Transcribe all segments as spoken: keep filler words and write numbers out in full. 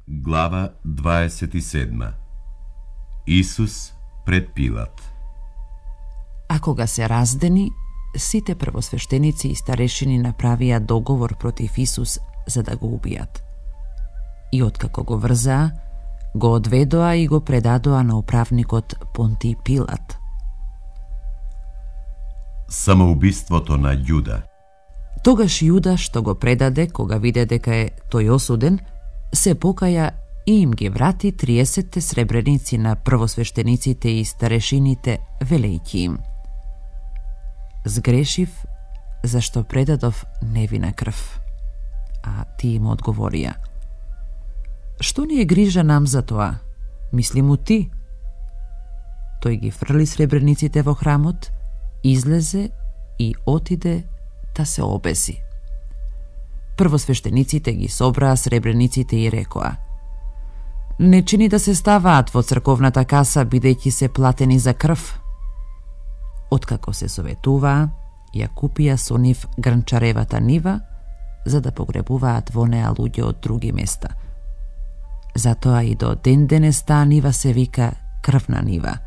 Глава дваесет и седма. Исус пред Пилат. А кога се раздени, сите првосвештеници и старешини направија договор против Исус за да го убијат. И откако го врзаа, го одведоа и го предадоа на управникот Понтиј Пилат. Самоубиството на Јуда. Тогаш Јуда, што го предаде, кога виде дека е тој осуден, се покаја и им ги врати триесетте сребреници на првосвештениците и старешините, велејќи им: Сгрешив, зашто предадов невина крв. А тие им одговорија: Што ни е грижа нам за тоа? Мисли му ти. Тој ги фрли сребрениците во храмот, излезе и отиде да се обеси. Првосвештениците ги собраа сребрениците и рекоа: Не чини да се ставаат во црковната каса, бидејќи се платени за крв. Откако се советуваа, ја купија со нив грнчаревата нива, за да погребуваат во неа луѓе од други места. Затоа и до ден денес таа нива се вика крвна нива.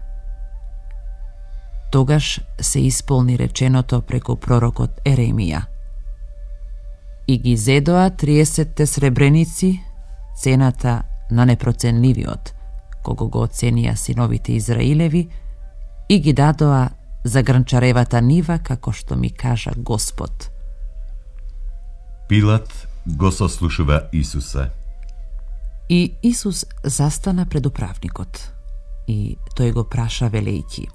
Тогаш се исполни реченото преку пророкот Еремија: И ги зедоа триесетте сребреници, цената на непроценливиот, кого го оценија синовите Израилеви, и ги дадоа за грнчаревата нива, како што ми кажа Господ. Пилат го сослушува Исуса. И Исус застана пред управникот, и тој го праша велејќи: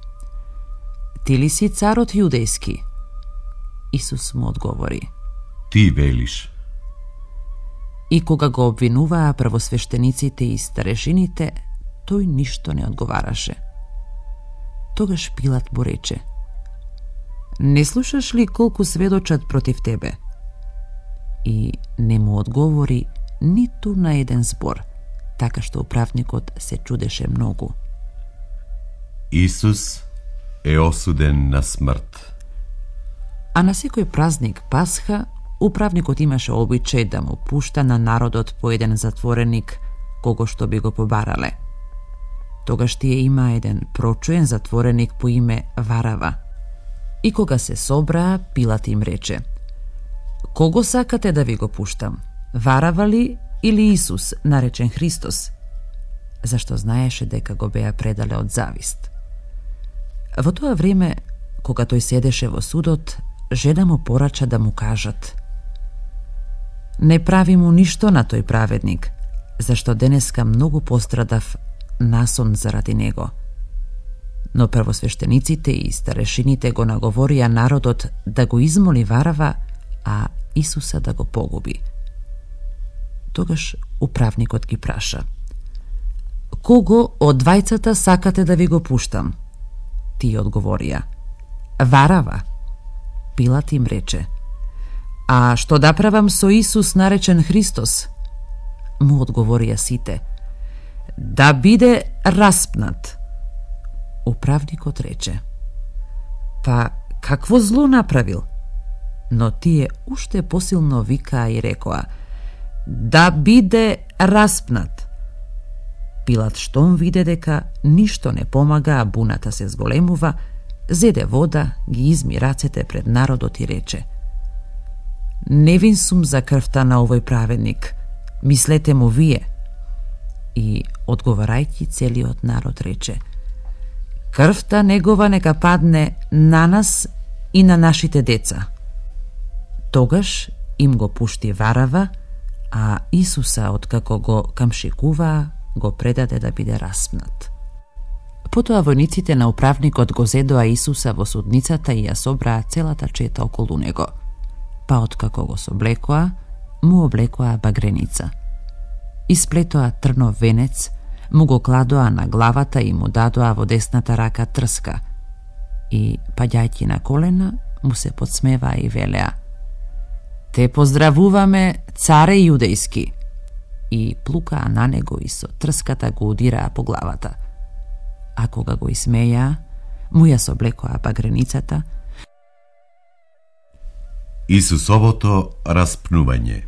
Ти ли си царот јудејски? Исус му одговори: Ти велиш. И кога го обвинуваа првосвештениците и старешините, тој ништо не одговараше. Тогаш Пилат му рече: Не слушаш ли колку сведочат против тебе? И не му одговори ниту на еден збор, така што управникот се чудеше многу. Исус е осуден на смрт. А на секој празник Пасха, управникот имаше обичај да му пушта на народот по еден затвореник, кого што би го побарале. Тогаш тие има еден прочуен затвореник по име Варава. И кога се собраа, Пилат им рече: Кого сакате да ви го пуштам? Варава ли или Исус, наречен Христос? Зашто знаеше дека го беа предале од завист. Во тоа време, кога тој седеше во судот, жена му порача да му кажат: Не прави му ништо на тој праведник, зашто денеска многу пострадав насон заради него. Но првосвештениците и старешините го наговорија народот да го измоли Варава, а Исуса да го погуби. Тогаш управникот ги праша: Кого од двајцата сакате да ви го пуштам? Тие одговорија: Варава. Пилат им рече: А што да правам со Исус, наречен Христос? Му одговорија сите: Да биде распнат. Управникот рече: Па какво зло направил? Но тие уште посилно викаа и рекоа: Да биде распнат. Пилат штом виде дека ништо не помага, а буната се зголемува, зеде вода, ги изми рацете пред народот и рече: Невин сум за крвта на овој праведник, мислете му вие. И, одговарајќи, целиот народ рече: Крвта негова нека падне на нас и на нашите деца. Тогаш им го пушти Варава, а Исуса, откако го камшикуваа, го предаде да биде распнат. Потоа војниците на управникот го зедоа Исуса во судницата и ја собраа целата чета околу него. Па откако го соблекоа, му облекоа багреница. Исплетоа трнов венец, му го кладоа на главата и му дадоа во десната рака трска. И, паѓајќи на колена, му се подсмеваа и велеа: Те поздравуваме, царе јудејски! И плукаа на него и со трската го удираа по главата. А кога го исмеја, му ја соблекоа багреницата. Исусовото распнување.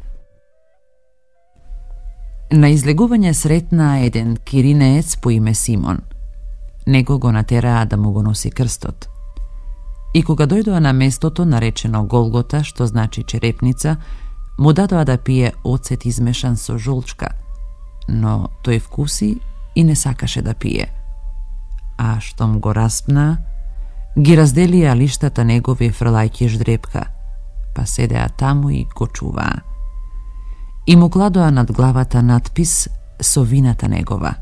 На излегување сретна еден киринеец по име Симон. Него го натераа да му го носи крстот. И кога дојдоа на местото наречено Голгота, што значи черепница, му дадоа да пие оцет измешан со жолчка, но тој вкуси и не сакаше да пие. А штом го распна, ги разделија лиштата негови фрлајќи ждрепка, па седеа таму и го чуваа. И му кладоа над главата надпис со вината негова: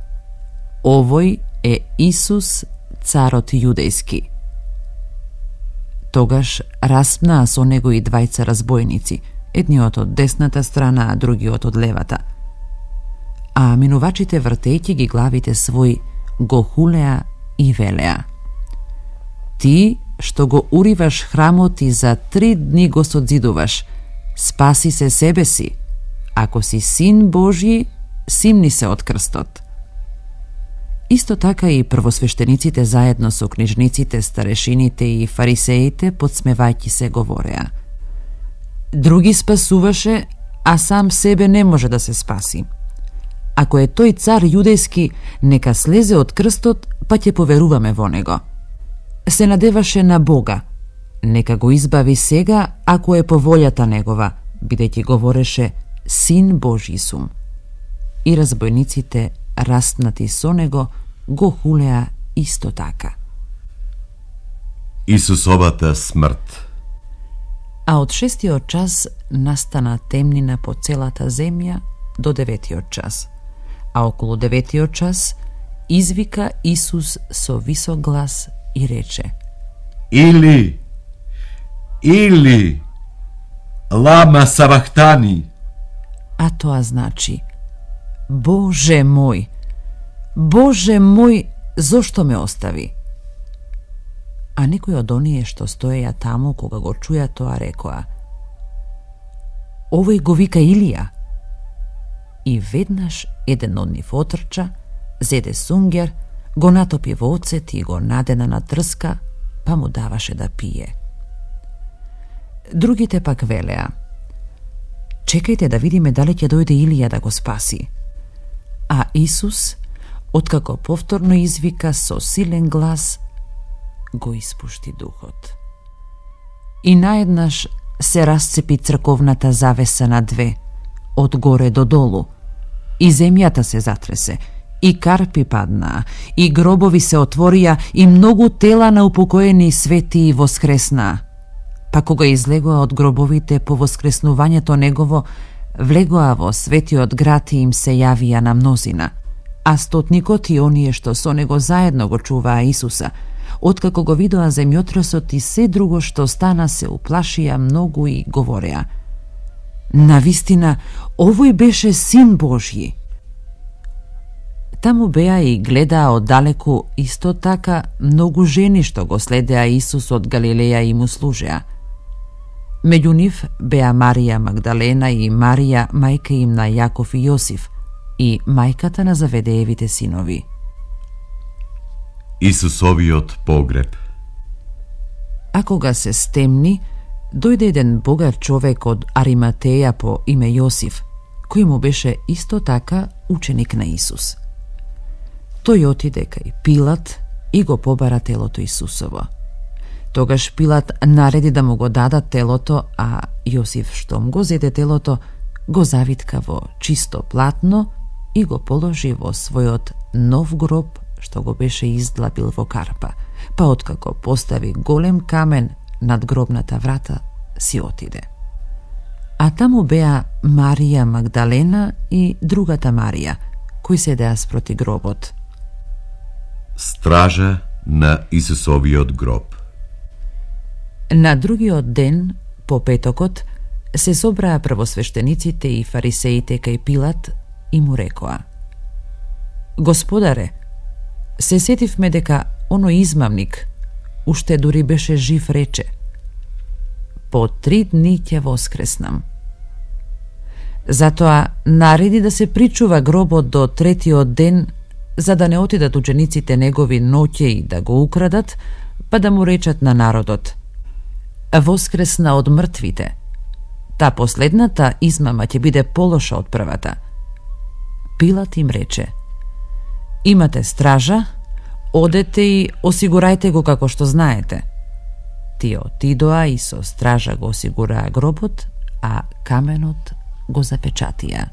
„Овој е Исус, царот јудејски“. Тогаш распнаа со него и двајца разбойници, едниот од десната страна, а другиот од левата. А минувачите, вртејќи ги главите своји, го хулеа и велеа: „Ти што го уриваш храмот и за три дни го содзидуваш, спаси се себе си. Ако си син Божји, симни се од крстот.“ Исто така и првосвештениците заедно со книжниците, старешините и фарисеите подсмевајќи се говореа: „Други спасуваше, а сам себе не може да се спаси. Ако е тој цар јудејски, нека слезе од крстот, па ќе поверуваме во него. Се надеваше на Бога, нека го избави сега, ако е по волјата негова, бидејќи говореше: Син Божји сум.“ И разбойниците, распнати со него, го хулеа исто така. Исусовата смрт. А од шестиот час настана темнина по целата земја до деветиот час. А околу деветиот час извика Исус со висок глас и рече: Или, Или, лама сабахтани. А тоа значи: Боже мој, Боже мој, зошто ме остави? А некои од оние што стоеја таму кога го чуја тоа рекоа: Овој го вика Илија. И веднаш еден од нив отрча, зеде сунгер, го натопи во оцет и го надена на трска, па му даваше да пие. Другите пак велеа: Чекајте да видиме дали ќе дојде Илија да го спаси. А Исус, откако повторно извика со силен глас, го испушти духот. И наеднаш се расцепи црковната завеса на две, од горе до долу, и земјата се затресе, и карпи паднаа, и гробови се отворија, и многу тела на упокоени светии воскреснаа. Па кога излегоа од гробовите по воскреснувањето негово, влегоа во светиот град и им се јавија на мнозина. А стотникот и оние што со него заедно го чуваа Исуса, откако го видоа земјотресот и се друго што стана, се уплашија многу и говореа: Навистина, овој беше Син Божји. Таму беа и гледаа оддалеку исто така многу жени што го следеа Исус од Галилеја и му служеа. Меѓу нив беа Марија Магдалена и Марија, мајка им на Јаков и Јосиф, и мајката на Заведеевите синови. Исусовиот погреб. А кога се стемни, дојде еден богат човек од Ариматеја по име Јосиф, кој му беше исто така ученик на Исус. Тој отиде кај Пилат и го побара телото Исусово. Тогаш Пилат нареди да му го дадат телото, а Јосиф, штом го зеде телото, го завитка во чисто платно и го положи во својот нов гроб што го беше издлабил во карпа, па откако постави голем камен над гробната врата, си отиде. А таму беа Марија Магдалена и другата Марија, кои седеа спроти гробот. Стража на Исусовиот гроб. На другиот ден, по петокот, се собраа првосвештениците и фарисеите кај Пилат и му рекоа: Господаре, се сетивме дека оној измамник, уште дури беше жив, рече: По три дни ќе воскреснам. Затоа нареди да се причува гробот до третиот ден, за да не отидат учениците негови ноќе и да го украдат, па да му речат на народот: Воскресна од мртвите. Та последната измама ќе биде полоша од првата. Пилат им рече: имате стража, одете и осигурајте го како што знаете. Тие отидоа и со стража го осигураа гробот, а каменот го запечатија.